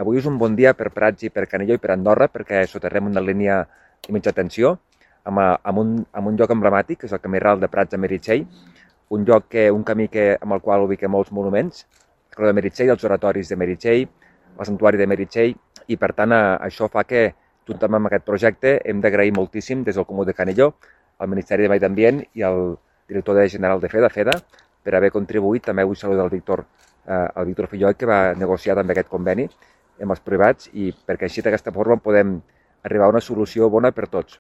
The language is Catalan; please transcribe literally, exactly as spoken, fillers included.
avui és un bon dia per Prats i per Canelló i per Andorra, perquè soterrem una línia de mitja tensió amb, amb, un, amb un lloc emblemàtic, que és el camí ral de Prats a Meritxell, un lloc que, un camí que, amb el qual ubiquem molts monuments, el de Meritxell, els oratoris de Meritxell, el santuari de Meritxell, i per tant això fa que, juntament amb aquest projecte, hem d'agrair moltíssim des del Comú de Canelló, al Ministeri de Medi Ambient i al director general de FEDA, FEDA, per haver contribuït. També vull saludar el Víctor, eh, el Víctor Fillol, que va negociar també aquest conveni amb els privats, i perquè així d'aquesta forma podem arribar a una solució bona per tots.